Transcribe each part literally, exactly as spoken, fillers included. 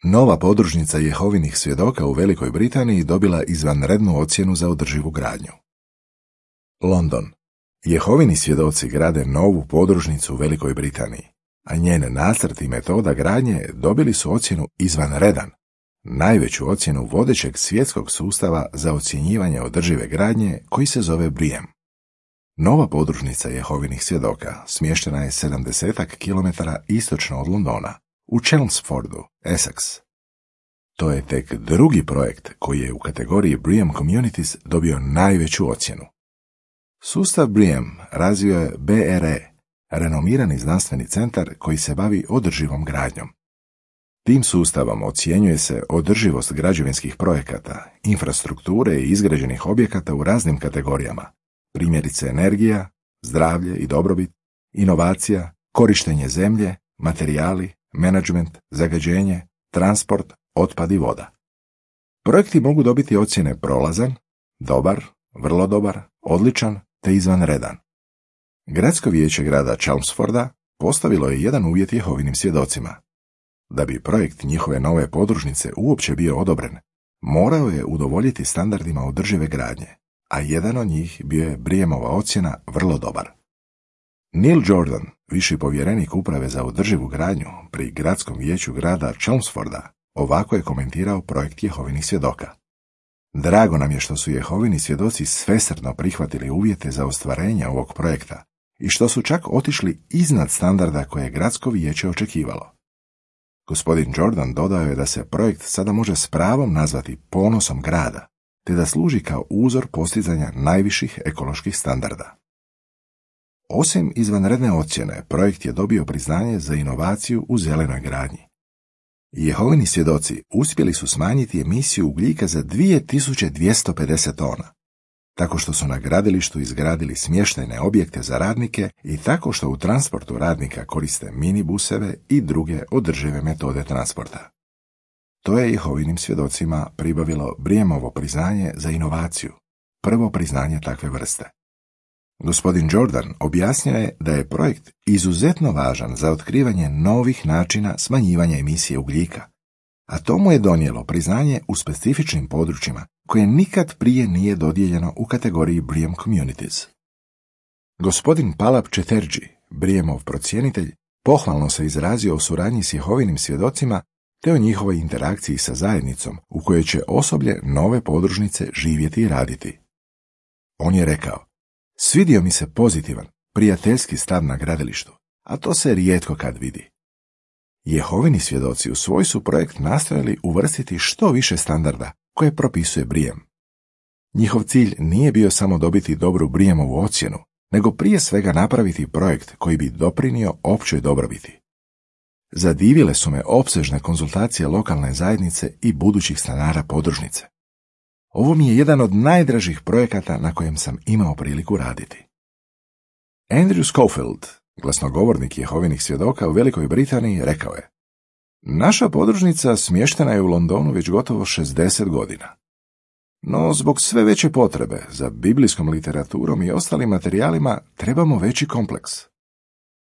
Nova podružnica Jehovinih svjedoka u Velikoj Britaniji dobila izvanrednu ocjenu za održivu gradnju. London. Jehovini svjedoci grade novu podružnicu u Velikoj Britaniji, a njene nacrt i metoda gradnje dobili su ocjenu izvanredan, najveću ocjenu vodećeg svjetskog sustava za ocjenjivanje održive gradnje koji se zove B R I A M. Nova podružnica Jehovinih svjedoka smještena je sedamdeset kilometara istočno od Londona, u Chelmsfordu, Essex. To je tek drugi projekt koji je u kategoriji B R I A M Communities dobio najveću ocjenu. Sustav B R I A M razvio je B R E, renomirani znanstveni centar koji se bavi održivom gradnjom. Tim sustavom ocjenjuje se održivost građevinskih projekata, infrastrukture i izgrađenih objekata u raznim kategorijama, primjerice energija, zdravlje i dobrobit, inovacija, korištenje zemlje, materijali, menadžment, zagađenje, transport, otpad i voda. Projekti mogu dobiti ocjene prolazan, dobar, vrlo dobar, odličan te izvanredan. Gradsko vijeće grada Chelmsforda postavilo je jedan uvjet Jehovinim svjedocima. Da bi projekt njihove nove podružnice uopće bio odobren, morao je udovoljiti standardima održive gradnje, a jedan od njih bio je B R I A M-ova ocjena vrlo dobar. Neil Jordan, viši povjerenik uprave za održivu gradnju pri gradskom vijeću grada Chelmsforda, ovako je komentirao projekt Jehovinih svjedoka. Drago nam je što su Jehovini svjedoci svesrdno prihvatili uvjete za ostvarenje ovog projekta i što su čak otišli iznad standarda koje je gradsko vijeće očekivalo. Gospodin Jordan dodao je da se projekt sada može s pravom nazvati ponosom grada, te da služi kao uzor postizanja najviših ekoloških standarda. Osim izvanredne ocjene, projekt je dobio priznanje za inovaciju u zelenoj gradnji. Jehovini svjedoci uspjeli su smanjiti emisiju ugljika za dvije tisuće dvjesto pedeset tona, tako što su na gradilištu izgradili smještajne objekte za radnike i tako što u transportu radnika koriste minibuseve i druge održive metode transporta. To je Jehovinim svjedocima pribavilo B R I A M-ovo priznanje za inovaciju, prvo priznanje takve vrste. Gospodin Jordan objasnio je da je projekt izuzetno važan za otkrivanje novih načina smanjivanja emisije ugljika, a to mu je donijelo priznanje u specifičnim područjima koje nikad prije nije dodijeljeno u kategoriji B R I A M Communities. Gospodin Palab Chatterjee, B R I A M-ov procjenitelj, pohvalno se izrazio o suradnji s Jehovinim svjedocima te o njihovoj interakciji sa zajednicom u kojoj će osoblje nove podružnice živjeti i raditi. On je rekao: svidio mi se pozitivan, prijateljski stav na gradilištu, a to se rijetko kad vidi. Jehovini svjedoci u svoj su projekt nastojali uvrstiti što više standarda koje propisuje B R I A M. Njihov cilj nije bio samo dobiti dobru B R I A M-ovu ocjenu, nego prije svega napraviti projekt koji bi doprinio općoj dobrobiti. Zadivile su me opsežne konzultacije lokalne zajednice i budućih stanara podružnice. Ovo mi je jedan od najdražih projekata na kojem sam imao priliku raditi. Andrew Schofield, glasnogovornik Jehovinih svjedoka u Velikoj Britaniji, rekao je: naša podružnica smještena je u Londonu već gotovo šezdeset godina. No zbog sve veće potrebe za biblijskom literaturom i ostalim materijalima trebamo veći kompleks.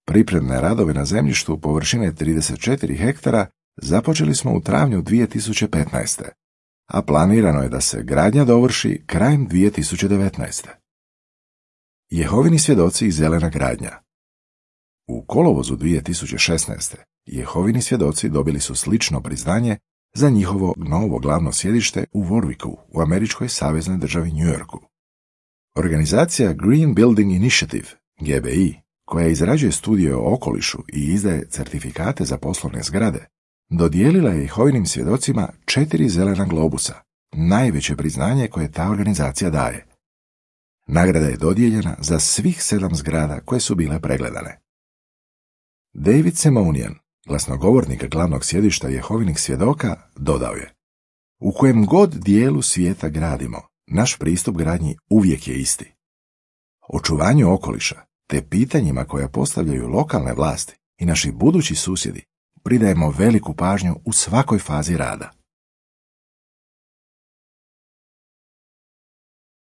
Pripremne radove na zemljištu površine trideset četiri hektara započeli smo u travnju dvije tisuće petnaeste. a planirano je da se gradnja dovrši krajem dvije tisuće devetnaeste. Jehovini svjedoci i zelena gradnja. U kolovozu dvije tisuće šesnaeste. Jehovini svjedoci dobili su slično priznanje za njihovo novo glavno sjedište u Warwicku u američkoj saveznoj državi New Yorku. Organizacija Green Building Initiative, G B I, koja izrađuje studije o okolišu i izdaje certifikate za poslovne zgrade, dodijelila je Jehovinim svjedocima četiri zelena globusa, najveće priznanje koje ta organizacija daje. Nagrada je dodijeljena za svih sedam zgrada koje su bile pregledane. David Simonian, glasnogovornik glavnog sjedišta Jehovinih svjedoka, dodao je: u kojem god dijelu svijeta gradimo, naš pristup gradnji uvijek je isti. Očuvanju okoliša te pitanjima koja postavljaju lokalne vlasti i naši budući susjedi pridajemo veliku pažnju u svakoj fazi rada.